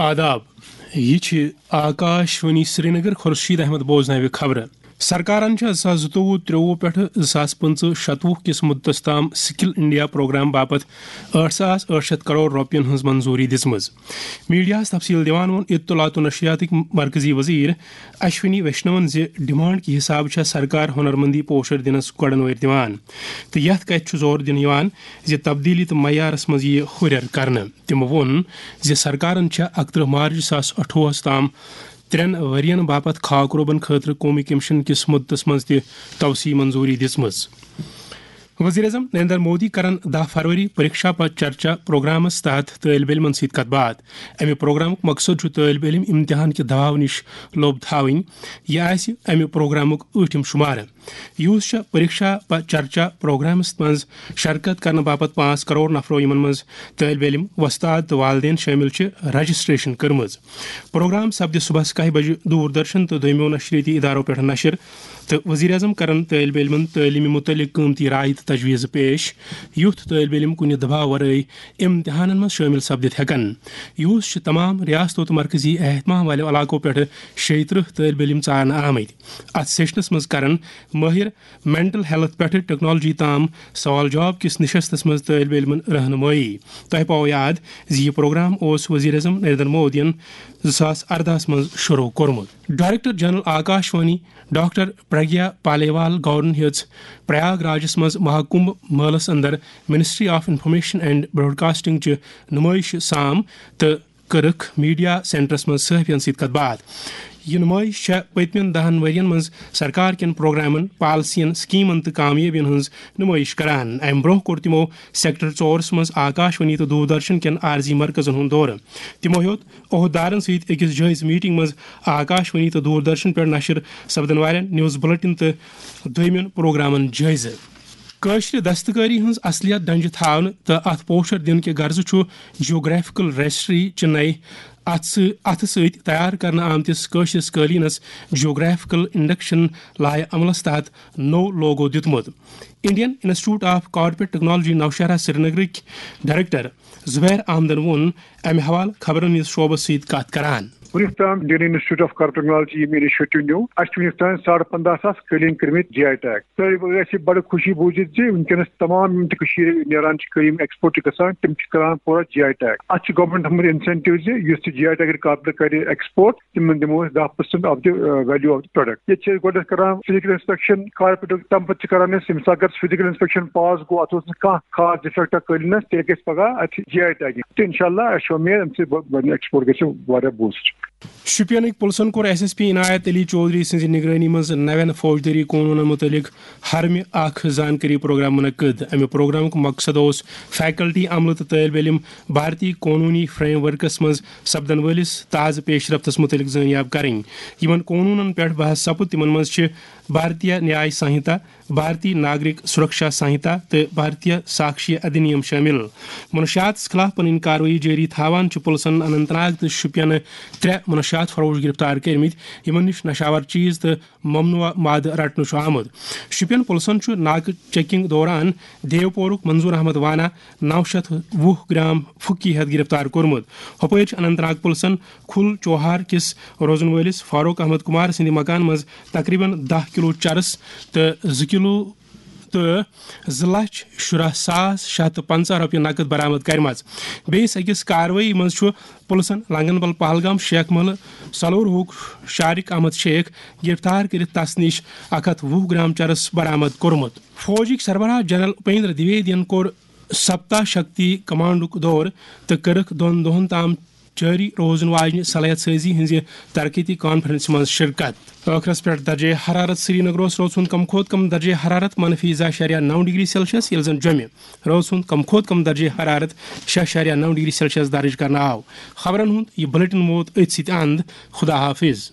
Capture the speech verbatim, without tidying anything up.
آداب، یہِ چھِ آکاش وانی سرینگر۔ خورشید احمد بوزناوِ خبرٕ۔ سرکارن چھےٚ زٕ ساس زٕتووُہ ترٛووُہ پٮ۪ٹھٕ زٕ ساس پٕنٛژٕہ شَتوُہ کِس مُدتَس تام سکل انڈیا پروگرام باپتھ ٲٹھ ساس ٲٹھ شیٚتھ کرور رۄپین ہٕنٛز منظوٗری دِژمٕژ۔ میڈیاہَس تفصیٖل دِوان ووٚن اطلاعات و نشریاتٕکۍ مرکزی وزیر اشونی ویشنون زِ ڈیمانڈ کہِ حسابہٕ چھےٚ سرکار ہُنرمندی پوسچر دِنَس گۄڈَن وٲرۍ دِوان تہٕ یَتھ کَتھِ چھُ زور دِنہٕ یِوان زِ تبدیٖلی تہٕ معیارَس منٛز یِیہِ ہُرٮ۪ر کرنہٕ۔ تِمو ووٚن زِ سرکارن چھےٚ اَکترٕہ مارچ زٕ ساس اَٹھووُہَس تام ترٛٮ۪ن ؤرین باپتھ خاکروبن خٲطرٕ قومی کمیشن کِس مُدتس منٛز تہِ توسیع منظوٗری دِژمٕژ۔ وزیر اعظم نریندر مودی کرن دَہ فروری پریکشا پہ چرچا پروگرامس تحت طٲلب علمن سۭتۍ کتھ باتھ۔ امہِ پروگرامُک مقصد چھُ طٲلب علم امتحان کہِ دباو نِش لوٚب تھاوٕنۍ۔ یہِ آسہِ امہِ پروگرامُک ٲٹھِم شُمارٕ۔ یُس چھُ پریکشا پہ چرچا پروگرامس منٛز شرکت کرنہٕ باپتھ پانٛژھ کرور نفرو، یِمن منٛز طٲلب علم، وۄستاد تہٕ والدین شٲمِل چھِ، رجسٹریشن کٔرمٕژ۔ پروگرام سپدِ صبحس کاہہِ بجہِ دوردرشن تہٕ دوٚیمٮ۪و نشریٲتی ادارو پٮ۪ٹھ نشر، تہٕ وزیر اعظم کرن طٲلب علمن تعلیمہِ متعلق قۭمتی راے تہٕ تجویز پیش، یُتھ طٲلب علم کُنہِ دباو ورٲے امتحانن منٛز شٲمِل سپدِتھ ہٮ۪کن۔ یُس چھِ تمام ریاستو تہٕ مرکزی اہتمام والٮ۪و علاقو پٮ۪ٹھٕ شیٚیہِ ترٕٛہ طٲلب علم ژارنہٕ آمٕتۍ۔ اتھ سیشنس منٛز کرن مٲہر مینٹل ہیلتھ پٮ۪ٹھٕ ٹیکنالوجی تام سوال جواب کِس نشستس منٛز طٲلب علمن رہنمٲیی۔ تۄہہِ پاوو یاد زِ یہِ پروگرام اوس وزیر اعظم نریندر مودیَن زٕ ساس ارداہَس منٛز شروع کوٚرمُت۔ Director general Akashvani doctor Pragya Paliwal گورن ہیٚژ پریاگ راجس منٛز مہاکمبھ مٲلس اندر ministry of information and broadcasting چہِ نمٲیشہِ سام تہٕ کٔرٕکھ میڈیا سینٹرس منٛز صحافین سۭتۍ کتھ باتھ۔ یہِ نمٲیش چھےٚ پٔتمٮ۪ن دَہَن ؤرین منٛز سرکار کٮ۪ن پروگرامن، پالیسین، سکیمن تہٕ کامیٲبین ہٕنٛز نمٲیش کران۔ امہِ برٛونٛہہ کوٚر تِمو سیکٹر ژورس منٛز آکاش وانی تہٕ دوردرشن کٮ۪ن عارضی مرکزن ہُنٛد دورٕ۔ تِمو ہیوٚت عہدٕدارن سۭتۍ أکِس جٲیزٕ میٹنگ منٛز آکاش وانی تہٕ دوردرشن پٮ۪ٹھ نشر سپدن والٮ۪ن نیوز بلیٹن تہٕ دوٚیمٮ۪ن پروگرامن جٲیزٕ۔ کٲشرِ دستکٲری ہٕنٛز اصلیت ڈنجہِ تھاونہٕ تہٕ اتھ پوچھر دِنہٕ کہِ غرضہٕ چھُ جیوگرافیکل رجسٹری چہِ نَیہِ اتھٕ سۭ-، اتھٕ سۭتۍ تیار کرنہٕ آمتِس کٲشرِس قٲلیٖنس جیوگرافیکل انڈکشن لایحہ عملس تحت نوٚو لوگو دیُتمُت۔ Indian institute of corporate technology Nowshera سرینگرٕکۍ ڈائریکٹر زبیر احمدن ووٚن امہِ حوالہٕ خبرن ہٕنٛدِس شعبس سۭتۍ کتھ کران۔ وُنیُک تام Indian institute of corporate technology ییٚمۍ انیشیٹو نیوٗ، اَسہِ چھِ وُنیُک تام ساڑٕ پنداہ ساس قٲلیٖن کٔرمٕتۍ جی آئی ٹیگ۔ تۄہہِ گژھِ بڑٕ خوشی بوٗزِتھ زِ وُنکیٚنس تمام یِم تہِ کٔشیٖرِ نیران چھِ قٲلیٖن، ایکسپورٹ چھِ گژھان، تِم چھِ کران پوٗرٕ جی آئی ٹیگ۔ اَتھ چھِ گورنمنٹ تھوٚمُت انسینٹیو زِ یُس تہِ جی آئی ٹیگ کارپوریٹ کرِ ایکسپورٹ، تِمن دِمو أسۍ دَہ percent of the value of the product. ییٚتہِ چھِ أسۍ گۄڈٕنیتھ کران فزیکل انسپیکشن کارپوریٹُک، تَمہِ پتہٕ چھِ کران أسۍ، ییٚمہِ ساتہٕ اگر فزیکل انسپیکشن پاس گوٚو، اَتھ اوس نہٕ کانٛہہ خاص ڈیفیکٹا قٲلیٖنس، تیٚلہِ گژھِ پگاہ اَتھ جی آئی ٹیگ۔ تہٕ انشاءاللہ اَسہِ چھِ اُمید اَمہِ سۭتۍ بہ-، بَنہِ ایکسپورٹ گژھِ واریاہ بوسٹ۔ شوپینٕکۍ پُلسن کوٚر ایس ایس پی عنایت علی چودھری سٕنٛزِ نگرٲنی منٛز نوٮ۪ن فوجدٲری قونوٗنن مُتعلق ہرمہِ اکھ زانکٲری پروگرام منعقد۔ امہِ پروگرامُک مقصد اوس فیکلٹی، عملہٕ تہٕ طٲلب علم بھارتی قونوٗنی فریم ورکس منٛز سپدن وٲلِس تازٕ پیش رفتس مُتعلق زٲنیاب کرٕنۍ۔ یِمن قونوٗنن پٮ۪ٹھ بحث سپُد، تِمن منٛز چھِ بھارتیہ نیاے سنہتا، بھارتی ناگرک سرکشا سنہتا تہٕ بھارتیہ ساکشیہ ادھینیم شٲمِل۔ منشیاتس خلاف پنٕنۍ کاروٲیی جٲری تھاوان چھِ پُلسن اننت ناگ تہٕ شُپینہٕ ترٛےٚ منشیات فروش گرفتار کٔرمٕتۍ، یِمن نِش نشاور چیز تہٕ ممنوعہ مادٕ رٹنہٕ چھُ آمُت۔ شُپین پُلسن چھُ ناکہٕ چیکنگ دوران دیوپورُک منظور احمد وانا نَو شیٚتھ وُہ گرام پھُکی ہٮ۪تھ گرفتار کوٚرمُت۔ ہۄپٲرۍ چھُ اننت ناگ پُلسن کھُل چوہار کِس روزن وٲلِس فاروق احمد کمار سٕنٛدِ مکان منٛز تقریباً دَہ کلو چرس تہٕ زٕ کلو تہٕ زٕ لچھ شُراہ ساس شےٚ ہتھ تہٕ پنٛژاہ رۄپیہِ نقد برآمد کرِمژ۔ بیٚیِس أکِس کاروٲیی منٛز چھُ پُلسن لنگن بل پہلگام شیخ محلہٕ سلوروہُک شارق احمد شیخ گرفتار کٔرِتھ تس نِش اکھ ہتھ وُہ گرام چرس برآمد کوٚرمُت۔ فوجٕکۍ سربراہ جنرل اپیندر دویدین کوٚر سپتا شکتی کمانڈُک دورٕ تہٕ کٔرٕکھ دۄن دۄہَن تام جٲری روزن واجنہِ صلاحیت سٲزی ہٕنٛزِ ترقیتی کانفرنسہِ منٛز شرکت۔ ٲخرس پٮ۪ٹھ درجہ حرارت۔ سرینگرس روز ہُنٛد کم کھۄتہٕ کم درجہ حرارت منفی زٕ اعشاریہ نَو ڈگری سیلسیس، ییٚلہِ زن جوٚمہِ روز ہُنٛد کم کھۄتہٕ کم درجہ حرارت شےٚ اعشاریہ نَو ڈگری سیلسیس درج کرنہٕ آو۔ خبرن ہُنٛد یہِ بلیٹن ووت أتھۍ سۭتۍ اند۔ خدا حافظ۔